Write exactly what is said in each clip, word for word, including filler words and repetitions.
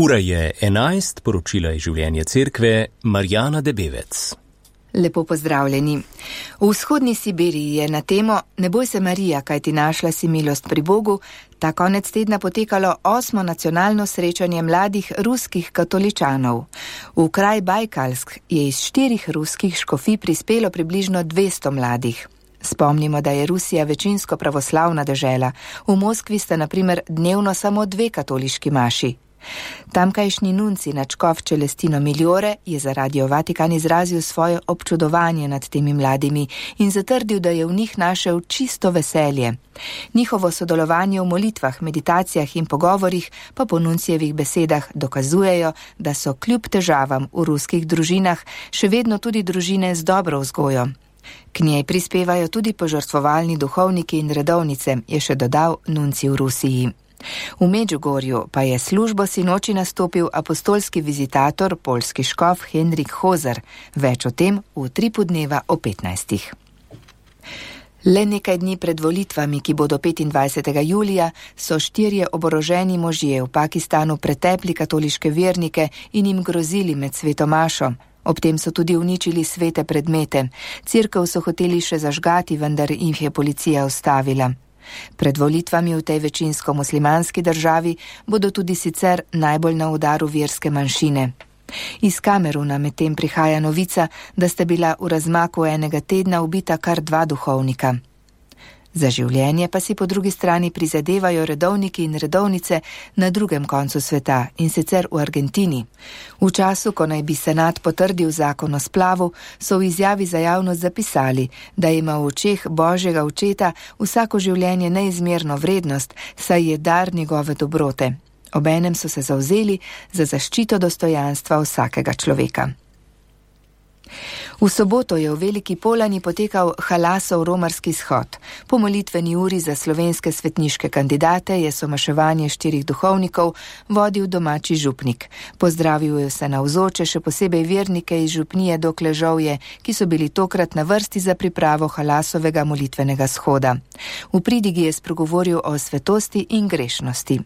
Ura je enajst, poročila je življenje cerkve, Marjana Debevec. Lepo pozdravljeni. V vzhodni Sibiriji je na temo Ne boj se Marija, kaj ti našla si milost pri Bogu, ta konec tedna potekalo osmo nacionalno srečanje mladih ruskih katoličanov. V kraj Bajkalsk je iz štirih ruskih škofij prispelo približno dvesto mladih. Spomnimo, da je Rusija večinsko pravoslavna dežela. V Moskvi sta na primer dnevno samo dve katoliški maši. Tamkajšnji nunci nadškof Celestino Migliore je za Radio Vatikan izrazil svoje občudovanje nad temi mladimi in zatrdil, da je v njih našel čisto veselje. Njihovo sodelovanje v molitvah, meditacijah in pogovorih pa po nuncijevih besedah dokazujejo, da so kljub težavam v ruskih družinah še vedno tudi družine z dobro vzgojo. K njej prispevajo tudi požrtvovalni duhovniki in redovnice, je še dodal nunci v Rusiji. V Medžugorju pa je službo sinoči nastopil apostolski vizitator, poljski škof Henrik Hozer. Več o tem v tripu dneva o petnajstih. Le nekaj dni pred volitvami, ki bodo petindvajsetega julija, so štirje oboroženi možje v Pakistanu pretepli katoliške vernike in jim grozili med svetomašo. Ob tem so tudi uničili svete predmete. Cerkev so hoteli še zažgati, vendar jih je policija ustavila. Pred volitvami v tej večinsko muslimanski državi bodo tudi sicer najbolj na udaru verske manjšine. Iz Kameruna medtem prihaja novica, da sta bila v razmaku enega tedna ubita kar dva duhovnika. Za življenje pa si po drugi strani prizadevajo redovniki in redovnice na drugem koncu sveta, in sicer v Argentini. V času, ko naj bi senat potrdil zakon o splavu, so v izjavi za javnost zapisali, da ima v očeh Božjega očeta vsako življenje neizmerno vrednost, saj je dar njegove dobrote. Obenem so se zavzeli za zaščito dostojanstva vsakega človeka. V soboto je v Veliki Polani potekal Halasov romarski shod. Po molitveni uri za slovenske svetniške kandidate je somaševanje štirih duhovnikov vodil domači župnik. Pozdravil je vse navzoče, še posebej vernike iz župnije Dokležovje, ki so bili tokrat na vrsti za pripravo Halasovega molitvenega shoda. V pridigi je spregovoril o svetosti in grešnosti.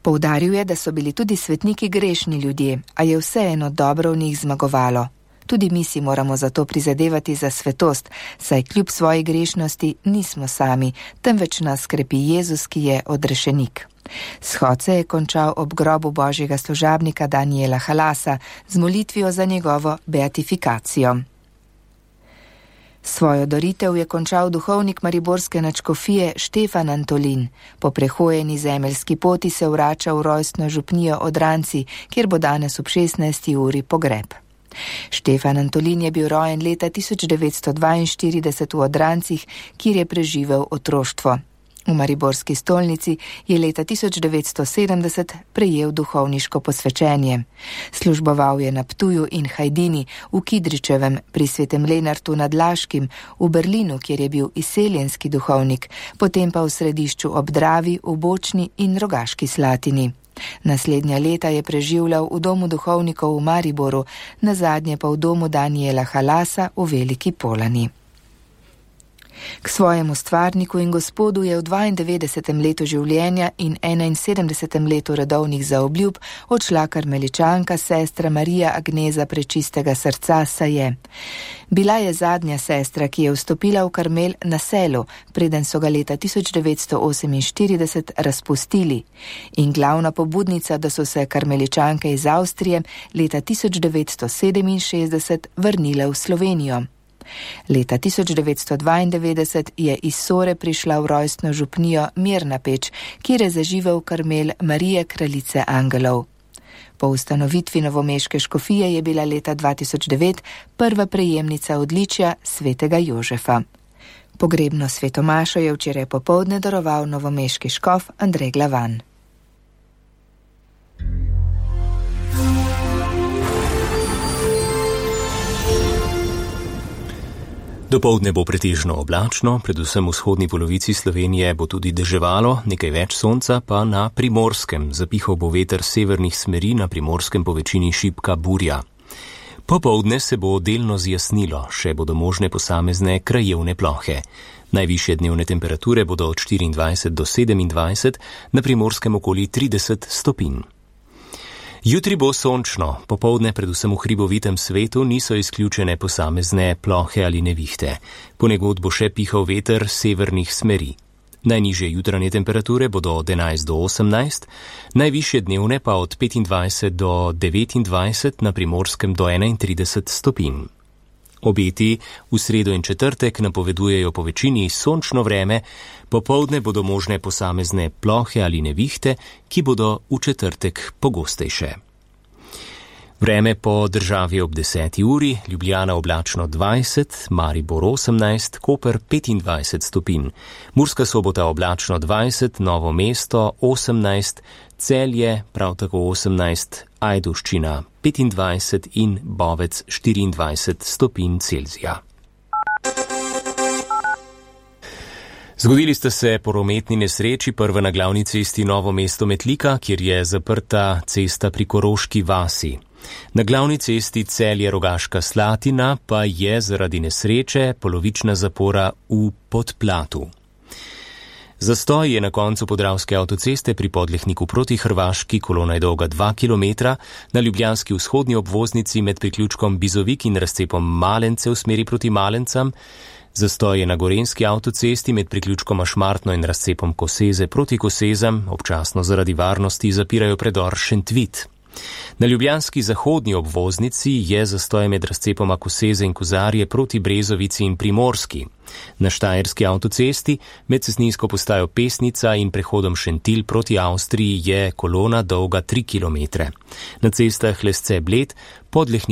Poudaril je, da so bili tudi svetniki grešni ljudje, a je vseeno dobro v njih zmagovalo. Tudi mi si moramo zato prizadevati za svetost, saj kljub svoji grešnosti nismo sami, temveč nas krepi Jezus, ki je odrešenik. Shod se je končal ob grobu božjega služabnika Daniela Halasa z molitvijo za njegovo beatifikacijo. Svojo doritev je končal duhovnik mariborske nadškofije Štefan Antolin. Po prehojeni zemeljski poti se vrača v rojstno župnijo Odranci, kjer bo danes ob šestnajsti uri pogreb. Štefan Antolin je bil rojen leta tisoč devetsto dvainštirideset v Odrancih, kjer je preživel otroštvo. V mariborski stolnici je leta tisoč devetsto sedemdeset prejel duhovniško posvečenje. Služboval je na Ptuju in Hajdini, v Kidričevem, pri Svetem Lenartu nad Laškim, v Berlinu, kjer je bil izseljenski duhovnik, potem pa v Središču ob Dravi, v Bočni in Rogaški Slatini. Naslednja leta je preživljal v domu duhovnikov v Mariboru, nazadnje pa v domu Daniela Halasa v Veliki Polani. K svojemu stvarniku in gospodu je v dvaindevetdesetem letu življenja in enainsedemdesetem letu redovnih zaobljub odšla karmeličanka sestra Marija Agneza Prečistega srca Saje. Bila je zadnja sestra, ki je vstopila v Karmel na Selu, preden so ga leta tisoč devetsto oseminštirideset razpustili, in glavna pobudnica, da so se karmeličanke iz Avstrije leta tisoč devetsto sedeminšestdeset vrnile v Slovenijo. Leta tisoč devetsto dvaindevetdeset je iz Sore prišla v rojstno župnijo Mirna Peč, kjer je zaživel Karmel Marije Kraljice angelov. Po ustanovitvi novomeške škofije je bila leta dva tisoč devet prva prejemnica odličja svetega Jožefa. Pogrebno svetomašo je včeraj popoldne daroval novomeški škof Andrej Glavan. Dopoldne bo pretežno oblačno, predvsem v vzhodni polovici Slovenije bo tudi deževalo, nekaj več sonca pa na Primorskem. Zapihal bo veter severnih smeri, na Primorskem po večini šibka burja. Popoldne se bo delno zjasnilo, še bodo možne posamezne krajevne plohe. Najvišje dnevne temperature bodo od štiriindvajset do sedemindvajset, na Primorskem okoli trideset stopinj. Jutri bo sončno, popoldne predvsem v hribovitem svetu niso izključene posamezne plohe ali nevihte. Ponekod bo še pihal veter severnih smeri. Najnižje jutranje temperature bodo od enajst do osemnajst, najvišje dnevne pa od petindvajset do devetindvajset, na Primorskem do enaintrideset stopinj. Obeti v sredo in četrtek napovedujejo po večini sončno vreme, popoldne bodo možne posamezne plohe ali nevihte, ki bodo v četrtek pogostejše. Vreme po državi ob deseti uri, Ljubljana oblačno dvajset, Maribor osemnajst, Koper petindvajset stopinj, Murska Sobota oblačno dvajset, Novo mesto osemnajst, Celje prav tako osemnajst, Ajdovščina petindvajset in Bovec štiriindvajset stopinj Celzija. Zgodili sta se prometni nesreči, prva na glavni cesti Novo mesto-Metlika, kjer je zaprta cesta pri Koroški vasi. Na glavni cesti Celje-Rogaška Slatina pa je zaradi nesreče polovična zapora v Podplatu. Zastoj je na koncu Podravske avtoceste pri Podlehniku proti Hrvaški, kolona je dolga dva kilometra, na ljubljanski vzhodni obvoznici med priključkom Bizovik in razcepom Malence v smeri proti Malencam, zastoj je na Gorenjski avtocesti med priključkoma Šmartno in razcepom Koseze proti Kosezam, občasno zaradi varnosti zapirajo predor Šentvit. Na ljubljanski zahodni obvoznici je zastoj med razcepoma Koseze in Kozarje proti Brezovici in Primorski. Na štajerski avtocesti med cestninsko postajo Pesnica in prehodom Šentilj proti Avstriji je kolona dolga tri kilometre. Na cestah Lesce Bled, Podlehnik